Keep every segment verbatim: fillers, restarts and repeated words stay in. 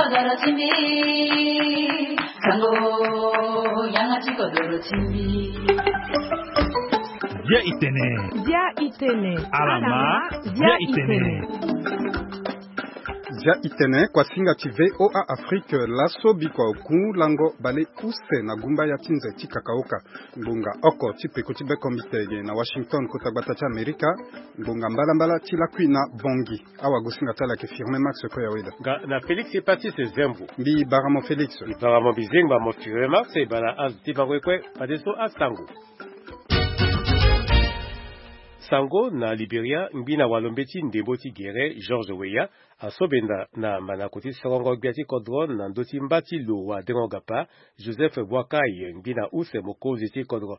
Dia itene. Dia itene. Alama. Dia itene. Dia itene, kuasinga ti V O A Afrique, laso bikua oku lango bale use na gumba ya ti nze ti kakaoka. Ngbonga oko ti peko ti bekombite ge na Washington, kota gbata ti Amerika. Ngbonga mbalambala ti lakui na Bongi. Awagosinga ti ala ayeke Firmin Max Koyaweda. Nga na Félix Hépatite Zembo. Mbi bara mo Félix. Mbi bara mo Bizengba mo Firmin Max, e bara azo ti bango ye kue, fadeso asango. Sango na Liberia, ngbi na walo mbeti ndembo ti gere, George Weah, asobenda na manako ti sorongo gbia ti kodro na ndö ti mba ti lo wadengo gapa, Joseph Boakai, ngbi na use mokonzi ti kodro.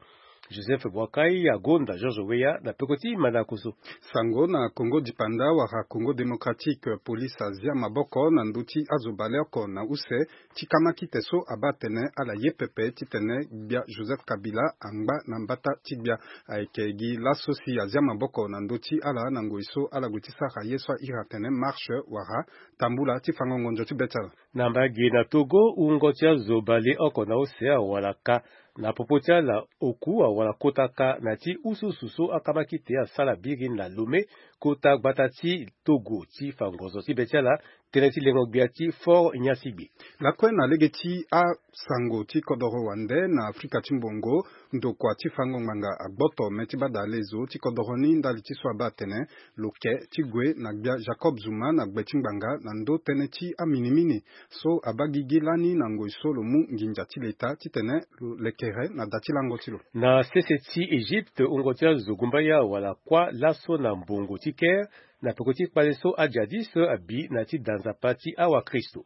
Joseph Boakai agonda George Weah na peko ti manako so. Sango na Congo dipanda wala Congo démocratique, police azia maboko na ndö ti azo baleoko na use ti kamakite so abaa atene ala ye pepe titene gbia Joseph Kabila angba na mbata ti gbia. Ayeke gi laso si azia maboko na ndö ti ala na ngoi so ala gue ti sara ye so airi atene marche wala tambula ti fango ngonzo ti be ti ala. Na mbage na Togo, wungo ti azo baleoko na use awara ka na popo ti ala oku awara kota ka na ti ususu so akamakite asara biri na Lomé, kota gbata ti Togo, ti fa ngonzo ti be ti ala, tënë ti lengo gbia ti Fort Nyasigbe. Lakue na lege ti asango ti kodoro wande na Afrika ti mbongo, ndokua ti fango ngbanga agboto me ti bada lezo ti kodoro ni ndali ti so abaa atene lo ke ti gue na gbia Jacob Zuma na gbe ti ngbanga na ndö tënë ti aminimini so abaa gigi lani na ngoi so lo mu nginza ti leta titene lo lekere na da ti lango ti lo. Na sese ti Egypte, wungo ti azo gumbaya wala kuâ laso na mbongo ti Caire, na peko ti kpale so ajadis abi na ti da nzapa ti awakristo.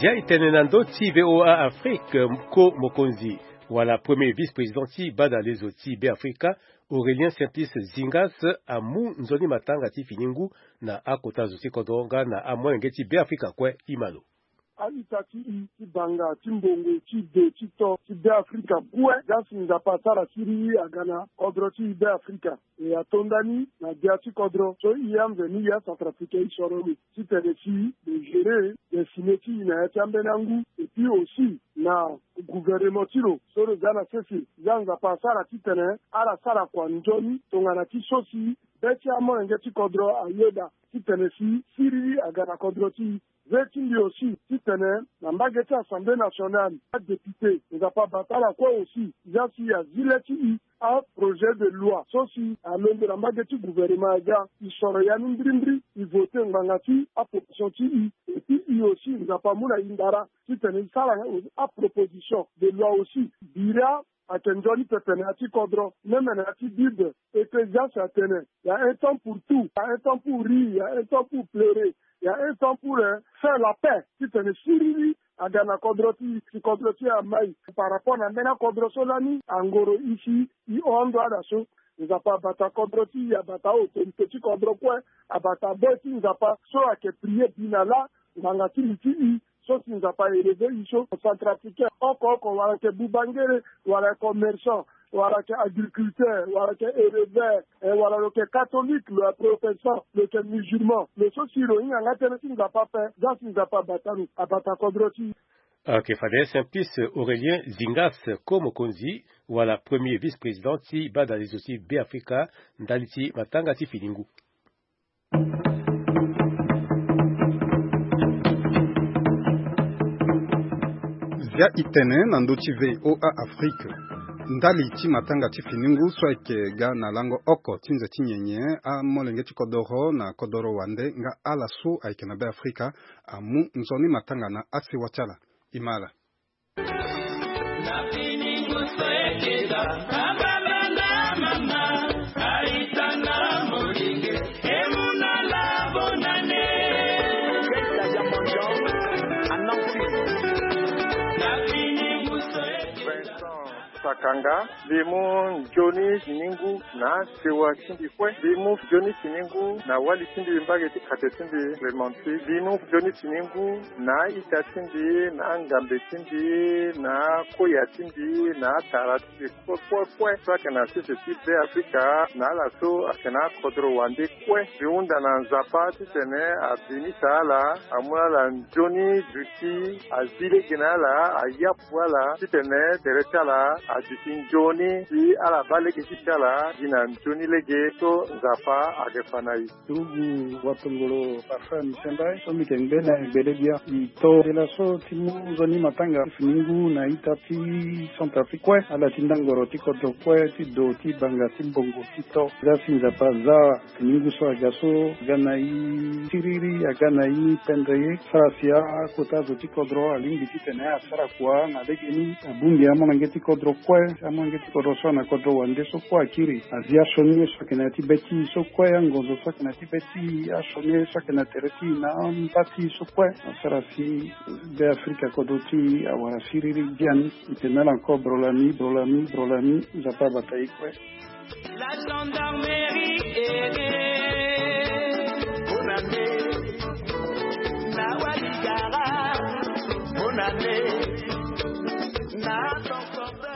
Zia e tene na ndö ti V O A Afrique, ko mokonzi wala premier vice-président ti bada lezo ti Beafrika, Aurélien Simplice Zingas, amu nzoni matanga ti fini ngu na akota zo ti kodro nga na amolenge ti Beafrika kue. Imalo. A-ita ti i ti banga ti mbongo ti de ti to ti Beafrika kue, ga si Nzapa asara siriri aga na kodro ti Beafrika. E ato ndani na gbia ti kodro so i amveni ya Centrafricain i soro lo titene si lo gérer destinée ti i na ya ti ambeni angu. Et puis aussi na gouvernement ti lo so lo za na sese, ya Nzapa asara titene ala sara kua nzoni tongana ti so si be ti amolenge ti kodro ayeda titene si siriri aga na kodro ti i. Ve ti mbi aussi titene na mbage ti Assemblée nationale, adéputé, Nzapa abata ala kue aussi, ya si azi le ti i aprojet de loi so si alondo na mbage ti gouvernement aga, i soro ya ni mbirimbiri, i voter ngbanga ti apopulation ti i. Et puis i aussi Nzapa amu na i ndara titene i sara aproposition de loi aussi. Bira ayeke nzoni pepe na ya ti kodro, même na ya ti Bible, Ecclésiaste atene, il y a un temps pour tout, il y a un temps pour rire, il y a un temps pour pleurer, il y a un temps pour, euh, faire la paix. Titene siriri aga na kodro ti i, si kodro ti i amai par rapport na ambeni akodro so lani angoro i si i hon ndo ala so. Nzapa abata kodro ti i, abata autorité ti kodro kue, abata boi ti Nzapa so ayeke prier bi na lâ ngbanga ti li ti i. So si Nzapa a élever i so, Centrafricain oko oko, wala ayeke bubangere, wala ayeke commerçant, wala ayeke agriculteur, wala ayeke éleveur, eh, wala lo yeke catholique, lo yeke protestant, lo yeke musulman, lo so si lo hinga nga tënë ti Nzapa ape, ga si Nzapa abata lo, abata kodro ti i. Ok, fade Simplice Aurélien Zingas, ko mokonzi wala premier vice-président ti bada lezo ti Beafrika, ndali ti matanga ti fini ngu. Zia e tene na ndö ti V O A Afrique. Ndali ti matanga ti fini ngu so ayeke ga na lango oko ti nze ti nyenye, amolenge ti kodoro na kodoro wande nga ala so ayeke na Beafrika amu nzoni matanga na asewa ti ala. Imala. Pakanga, mbi mu nzoni siningu na sewa ti mbi kue. Mbi mu nzoni siningu na wali ti mbi, mbage ti kate ti mbi Clémentine. Mbi mu nzoni siningu na ita ti mbi, na ngambe ti mbi, na koya ti mbi, na tara ti mbi kue kue kue so ayeke na sese ti Be Afrika, na ala so ayeke na akodro wande kue. Mbi hunda na Nzapa titene abinisa ala, amu na ala nzoni duti, azi lege na ala, ayapu ala titene tere ti ala aduti nzoni, si ala baa lege ti ti ala gi na nzoni lege so Nzapa ayeke fa na e. Turugu watongolo Parfum Sendai so mbi yeke ngbe na e gbele gbia. Mbi to tela so ti mu nzoni matanga ti fini ngu na ita ti Centrafrique kue, ala ti ndangoro ti kodro kue, ti do, ti banga, ti mbongo, ti to. Za si Nzapa aza fini ngu so aga so, aga na e siriri, aga na e pendre ye. Sara si akota zo ti kodro alingbi titene asara kua na legeni, abongbi amolenge ti kodro kue, amolenge ti kodro so ana kodro wande so kue akiri. Azi asioni ye so ayeke na ya ti be ti e so kue, angonzo so ayeke na ya ti be ti e, asioni ye so ayeke na tere ti e na amba ti e so kue. Asara si Be Afrika kodro ti e awara siriri biani. Mbi tene na ala encore bro lami, bro lami, bro lami, Nzapa abata e kue. La gendarmerie aidée. Bonne année. Na waligara. Bonne année. Na ton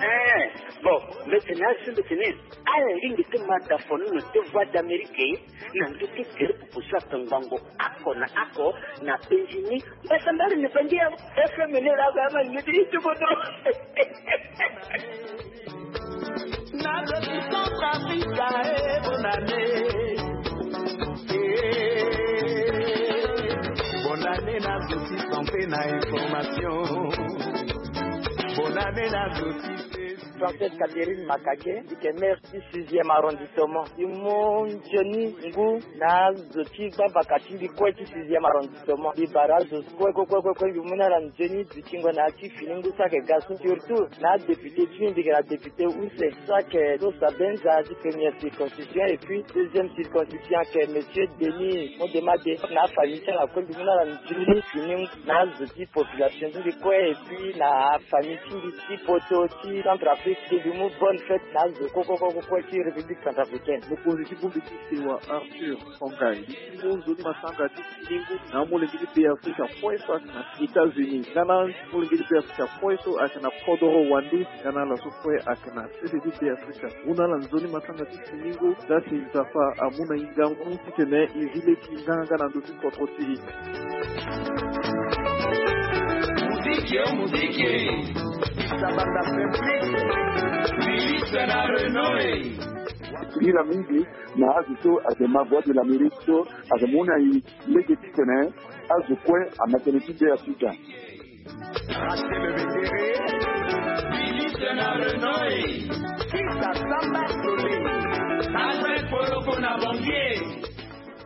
Eh, bon, mbi tene na ala so mbi tene, ala lingbi ti ma da fo ni na ti Voix d'Amérique, na ndö ti tere pupu so ayeke ngbongo oko na oko na penzi ni. Mbasambala ni penzi ya F M ni la ga ma ni ti ti bodo. Na zo ti Centrafrique, eh, bonne année. Eh, bonne année na zo ti santé na information. Bonne année na zo ti Française Catherine Makake, mbi yeke maire ti sixième arrondissement. Mbi mu nzoni ngu na azo ti gbavaka ti mbi kue ti sixième arrondissement. Mbi bara azo kue, kue, kue, kue, kue, mbi mu na ala nzoni dutingo na ya ti fini ngu so ayeke ga so. Surtout na adéputé ti mbi, mbi yeke na député use so ayeke Dosa Benza ti première circonscription et puis deuxième circonscription ayeke monsieur Denis Modemade. Na afamille ti ala kue mbi mu na ala nzoni fini ngu na azo ti population ti mbi kue et puis na afamille ti mbi ti poto ti Centrafrique. Mbi mu bonne fête na azo kue, kue, kue, kue, kue ti République centrafricaine. Mokonzi ti bongbi ti sewa Arthur Songhai, mbi ti mu nzoni matanga ti fini ngu na amolenge ti Be Afrika kue so ayeke na États-Unis, nga na amolenge ti Be Afrika kue so ayeke na kodoro wande, nga na ala so kue ayeke na sese ti Be Afrika. Mu na ala nzoni matanga ti fini ngu, za si Nzapa amu na e ngangu titene e zi lege nganga na ndö ti kodro ti e. Muziki, oh, muziki. Sabanda Simplice. Félix na Renault, eh. Sila mingi na azo so ayeke ma Voix de l'Amérique so ayeke mu na e lege titene azo kue amatene ti Be Afrika. Rachel Bengere, Philippe na Renault, Sisa Samba Sole, Albert Poloko na Banquier.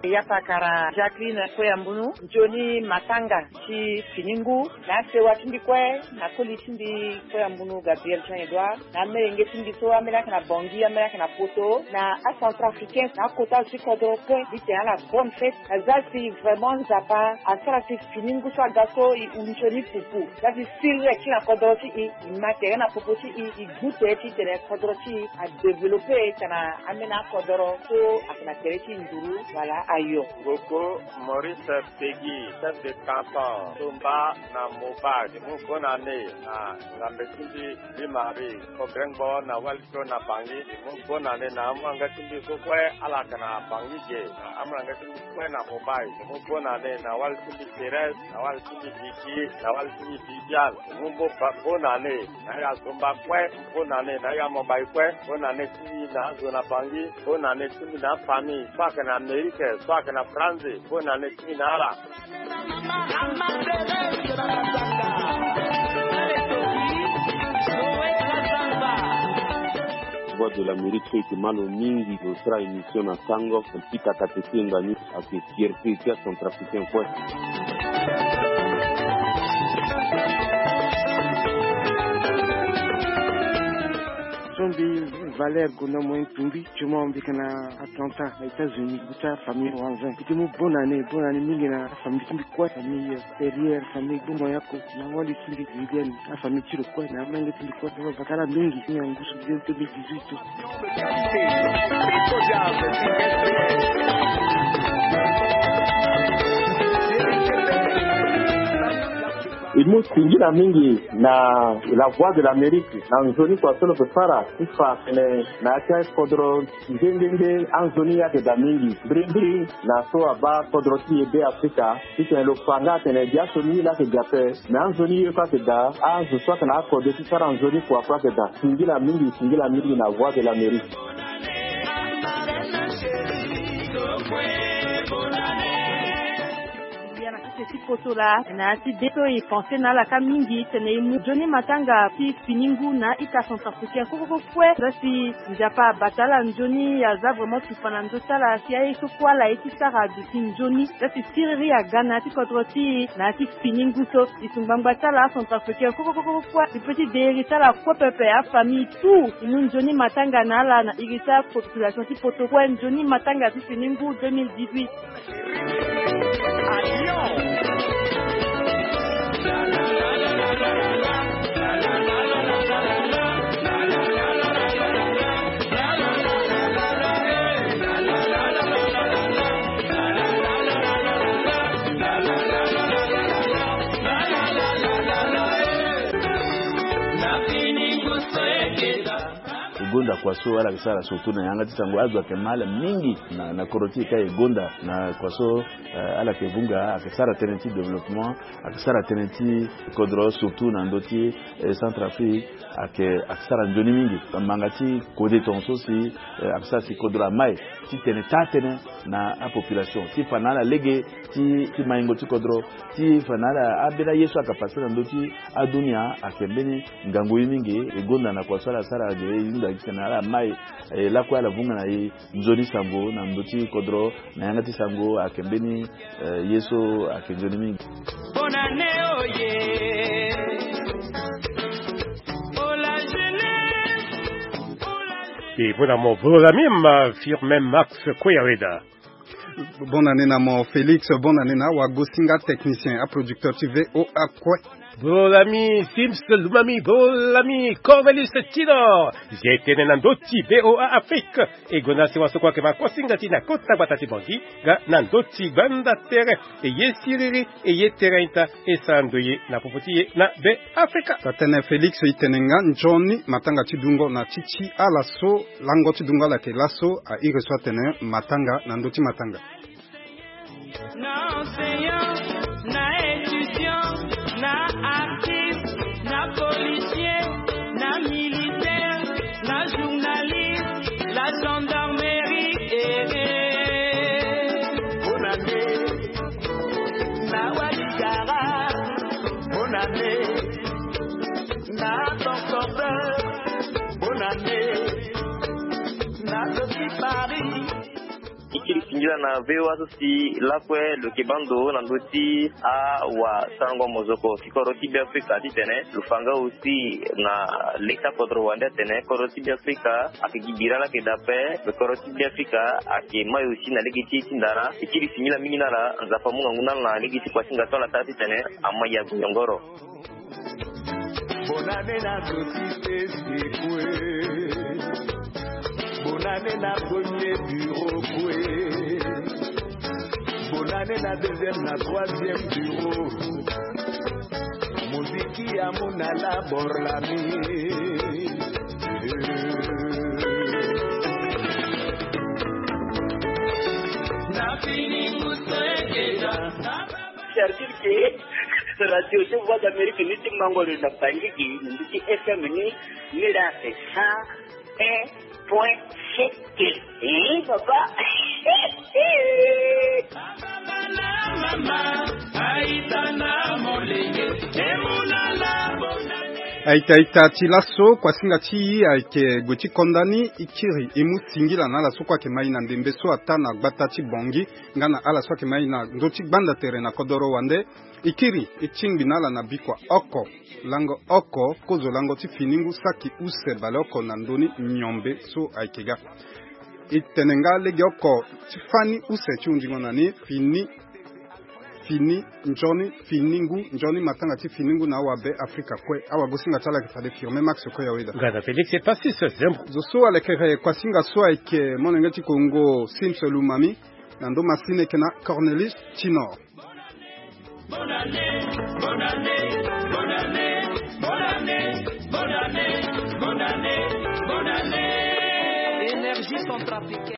Yapa kara Jacqueline Koyambunu, nzoni matanga ti fini ngu na asewa ti mbi kue, na koli ti mbi Koyambunu Gabriel Jean Edouard, na amolenge ti mbi so amolenge ayeke na Bangui, amolenge ayeke na Poto, na acentrafricain, na akota zo ti kodro kue, mbi tene na ala bonne fête. Aza si vraiment Nzapa asara si fini ngu so aga so e hu nzoni pupu. Aza si siriri akiri na kodro ti e, e ma tere na popo ti e, e gu tere titene kodro ti e adéveloppé tongana ambeni akodro so ayeke na tere ti nduru wala ayo. Ngoko Maurice Peggy, chef de canton Tomba na Moba, mbi mu bonne année na ngambe ti mbi, Louis Marie Kogrengbo na wali so na Bangui, mbi mu bonne année na amolenge ti mbi so kue ala yeke na Bangui ge, na amolenge ti mbi kue na Mobile, mbi mu bonne année na wali ti mbi Thérèse, na wali ti mbi Vicky, na wali ti mbi Viviane, mbi mu bo-, ba-, bonne année na ya Zomba kue, bonne année na ya Mobile kue, bonne année ti mbi na azo na Bangui, bonne année ti mbi na afamille so ayeke na Amérique, so ayeke na France, bonne année ti mbi na ala. Voix de l'Amérique so e yeke mä lo mingi lo sara émission na sango, mbi pika kate ti e ngba ni ayeke fierté ti acentrafricain kue. So mbi Valeur gonda moyen tumbi, tuma mbi yeke na attentat na États-Unis, mbi ti afamille Wanzin. Mbi ti mu bonne année, bonne année mingi na afamille ti mbi kue, famille Perrier, famille Gbongo Yako, na wali ti mbi Julienne, afamille ti lo kue, na amenge ti mbi kue. Bakala mingi, ni angusu bien deux mille dix-huit. E mu singila mingi na La Voix de l'Amérique na nzoni kua so lo yeke sara ti fa atene na ya ti akodro nde nde nde anzoni ayeke daa mingi. Mbirimbiri na so abaa kodro ti e Be Afrika, titene lo fa nga atene biaso ni laa ayeke daa ape. Me anzoni ye kue ayeke daa, azo so ayeke na akode ti sara nzoni kua kue ayeke daa. Singila mingi, singila mingi na Voix de l'Amérique. Ya na kete ti poto laa, na ya ti de so e pense na ala kâ mingi tene e mu nzoni matanga ti fini ngu na ita Centrafricain kue kue kue. Za si Nzapa abata ala nzoni, aza vraiment tufa na ndö ti ala si aye so kue ala ye ti sara aduti nzoni. Za si siriri aga na ya ti kodro ti e na ya ti fini ngu so. Lisu ngbangba ti ala aCentrafricain kue kue kue kue kue, e peut ti de iri ti ala kue pepe, afamille tout. E mu nzoni matanga na ala na iri ti apopulation ti poto kue, nzoni matanga ti fini ngu deux mille dix-huit. E gonda kua so ala yeke sara surtout na yanga ti sango, azo ayeke ma ala mingi na, na kodro ti e ka e gonda na kua so, eh, ala yeke vunga, ayeke sara tënë ti développement, ayeke sara tënë ti kodro surtout na ndö ti, eh, Centrafrique, ayeke, ayeke sara nzoni mingi. Manga ti kode tongaso si, eh, ayeke sara si kodro amai ti tene taa tënë na apopulation ti fa na ala lege ti, ti maingo ti kodro, ti fa na ala ambeni aye so ayeke passé na ndö ti adunia ayeke mbeni ngangu ye mingi. E gonda na kua so ala sara ge, e hunda gi titene ala mai, e lakue ala vunga na e nzoni sango na ndö ti kodro, na yanga ti sango ayeke mbeni, eh, ye so ayeke nzoni mingi. Bonne année, oh yeah. Oh la jeunesse, oh la jeunesse. Et bon, à mon bon ami, ma firme Max Koyaweda. Bonne année na mo Félix, bonne année na awagosinga technicien, aproducteur ti V O A kue. Bon ami Sims Lumami, bon ami Cornelius Tidor. Zi tene na ndö ti V O A Afrique. E gonda si waso kue ayeke ma kosinga ti na kota gbata ti Bangui, nga na ndö ti gbanda tere. E ye siriri, e ye tere ita, e sara ndoye na popo ti e na Be Afrika. Taa tënë Félix, e tene nga nzoni matanga ti dungo na ti ti ala so lango ti dungo ala yeke laso, a iri so atene matanga na ndö ti matanga. Na enseignant, na étudiant, na artiste, na policier, na militaire, na journaliste, la gendarmerie, eh, eh. Bonne année. Na Ouattara, bonne année. Na Concordeur, bonne année. Na Sophie Paris. E kiri singila na V O A so si lakue lo yeke baa ndo na ndö ti awasarango mozoko ti kodro ti Be Afrika titene lo fa nga aussi na leta kodro wande atene kodro ti Be Afrika ayeke gi bira laa ayeke daa ape. Kodro ti Be Afrika ayeke mai aussi na lege ti e ti ndara. E kiri singila mingi na ala, Nzapa amu ngangu na ala na lege ti kua ti nga so ala sara titene amai ya gue yongoro. Bonne année na société Sekwe. Bonne année na premier bureau kue. Bonne année na deuxième, na troisième bureau. Moziki ya muna la borlami. Na fini musengeda. Servir ke radio ti Voix d'Amérique ni ti mango lo na Bangui gi, ni ti F M ni, ni la cent un point sept. Eh, papa. Mama, aita na molenge, emuna la bonane. Aita aita ti laso kuasinga ti e ayeke gue ti konda ni. E kiri e mu singila na ala so kue ayeke ma e na ndembe so ataa na gbata ti Bangui nga na ala so ayeke ma e na ndö ti gbanda tere na kodoro wande. E kiri e tingbi na ala na bikua oko lango oko kozo lango ti fini ngu saki use baleoko na ndö ni miombe so ayeke ga. E tene nga legeoko ti fani use ti hundingo na ni fini fini nzoni fini ngu nzoni matanga ti fini ngu na awabe Afrika kue. Awagosinga ti ala ayeke fade firme Max Koyaweda. Gada Félix et Passis Zembo. Zo so alekere kuasinga so ayeke molenge ti Kongo Sims Lumami. Na ndö masini ayeke na Cornelius Tinor. Énergie centrafricaine.